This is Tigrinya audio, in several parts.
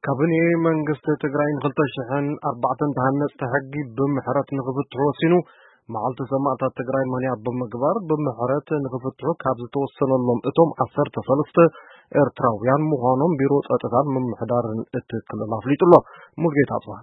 ካቢኔ መንግስቲ ትግራይ ንክልተ ሽሕን ኣርባዕተን ተሃነፅቲ ሕጊ ብምሕረት ንክፍትሑ ወሲኑ። መዓልቲ ሰማእታት ትግራይ ምክንያት ብምግባር ብምሕረት ንክፍትሑ ካብ ዝተወሰነሎም እቶም ዓሰርተ ሰለስተ ኤርትራውያን ምዃኖም ቢሮ ጸጥታን ምምሕዳርን እቲ ክልል ኣፍሊጡ ኣሎ። ሙልጌታ ኣጽብሃ።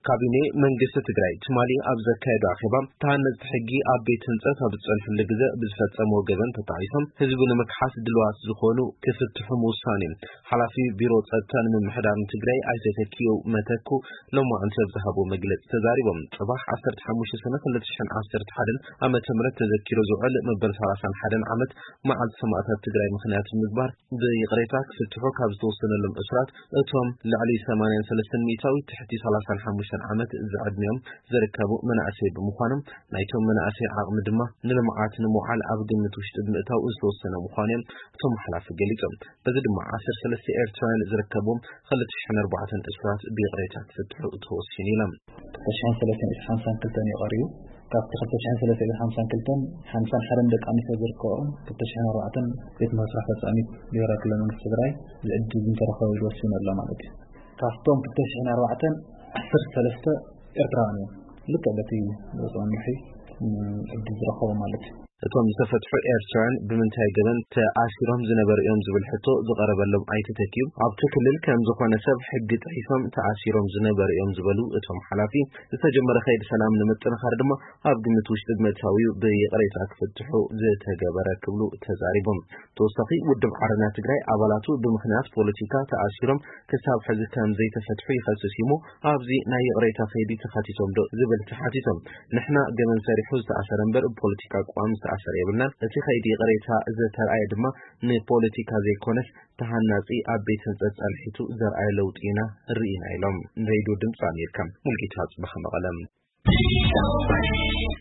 ካቢኔ መንግስቲ ትግራይ ትማሊ ኣብ ዘካየዶ ኣኼባ፣ ተሃነፅቲ ሕጊ ኣብ ቤት ህንፀት ኣብ ዝጸንሕሉ ግዘ ብዝፈጸምዎ ገበን ተጣዒሶም ህዝቢ ንምክሓስ ድልዋት ዝኾኑ ክፍትሑ ምውሳኑ እዩ። ሓላፊ ቢሮ ጸጥታን ምምሕዳርን ትግራይ ኣይተ ተኪኡ መተኩ ሎማዕንቲ ኣብ ዝሃብዎ መግለጺ ተዛሪቦም። ጽባሕ ዓሰርተ ሓሙሽተ ሰነ ክልተ ሽሕን ዓሰርተ ሓደን ዓመተ ምህረት ተዘኪሩ ዝውዕል መበል ሰላሳን ሓደን ዓመት መዓልቲ ሰማእታት ትግራይ ምኽንያት ብምግባር ብይቕሬታ ክፍትሑ ካብ ዝተወሰነሎም እሱራት እቶም ልዕሊ ሰማንያን ሰለስተን ሚእታዊት ትሕቲ ሰላሳን ሓሙሽተን ዓመት ዝዕድሚኦም ዝርከቡ መናእሰይ ብምዃኖም፣ ናይቶም መናእሰይ ዓቕሚ ድማ ንልምዓት ንምውዓል ኣብ ግምት ውሽጢ ብምእታው ዝተወሰነ ምዃኑ እዮም እቶም ሓላፊ ገሊጾም። በዚ ድማ ዓሰርተ ሰለስተ ኤርትራውያን ዝርከብዎም ክልተ ሽሕን ኣርባዕተን እሱራት ብይቕሬታ ክፍትሑ ተወሲኑ ኢሎም። ክልተ ሽሕን ሰለስተን ሓምሳን ክልተን እዩ ቀሪቡ። ካብቲ ክልተ ሽሕን ሰለስተን ሓምሳን ክልተን፣ ሓምሳን ሓደን ደቂ ኣንስትዮ ዝርከብኦም፣ ክልተ ሽሕን ኣርባዕተን ቤት መስርሕ ፈጻሚት ብሄራዊ ክልላዊ መንግስቲ ትግራይ ዝዕድል እንተረኸበ ኢሉ ወሲኑ ኣሎ ማለት እዩ። ካብቶም ክልተ ሽሕን ኣርባዕተን ዓሰርተ ሰለስተ ኤርትራውያን እዮም። ልክዕ በቲ ዝወፅኦም ምርሒ፣ ም፣ ዕድል ዝረኸቡ ማለት እዩ። እቶም ዝተፈትሑ ኤርትራውያን ብምንታይ ገበን ተኣሲሮም ዝነበሩ እዮም ዝብል ሕቶ ዝቐረበሎም ኣይተ ተኪኡ፣ ኣብቲ ክልል ከም ዝኾነ ሰብ ሕጊ ጥሒሶም ተኣሲሮም ዝነበሩ እዮም ዝበሉ እቶም ሓላፊ፣ ዝተጀመረ ከይዲ ሰላም ንምጥንኻር ድማ ኣብ ግምት ውሽጢ ብምእታው እዩ ብይቕሬታ ክፍትሑ ዝተገበረ ክብሉ ተዛሪቦም። ተወሳኺ ውድብ ዓረና ትግራይ ኣባላቱ ብምኽንያት ፖለቲካ ተኣሲሮም ክሳብ ሕዚ ከም ዘይተፈትሑ ይኸስስ እዩ እሞ፣ ኣብዚ ናይ ይቕሬታ ከይዲ ተኻቲቶም ዶ ዝብል ተሓቲቶም፣ ንሕና ገበን ሰሪሑ ዝተኣሰረ እምበር ብፖለቲካ ኣቋም ዝተኣሰረ የብልናን። እቲ ከይዲ ይቕሬታ ዝተርኣየ ድማ ንፖለቲካ ዘይኮነስ ተሃናጺ ኣብ ቤት ህንጸት ጸንሒቱ ዘርኣየ ለውጢ ኢና ርኢና ኢሎም። ንሬድዮ ድምፂ ኣሜሪካ ሙልጌታ ጽባሕ መቐለም።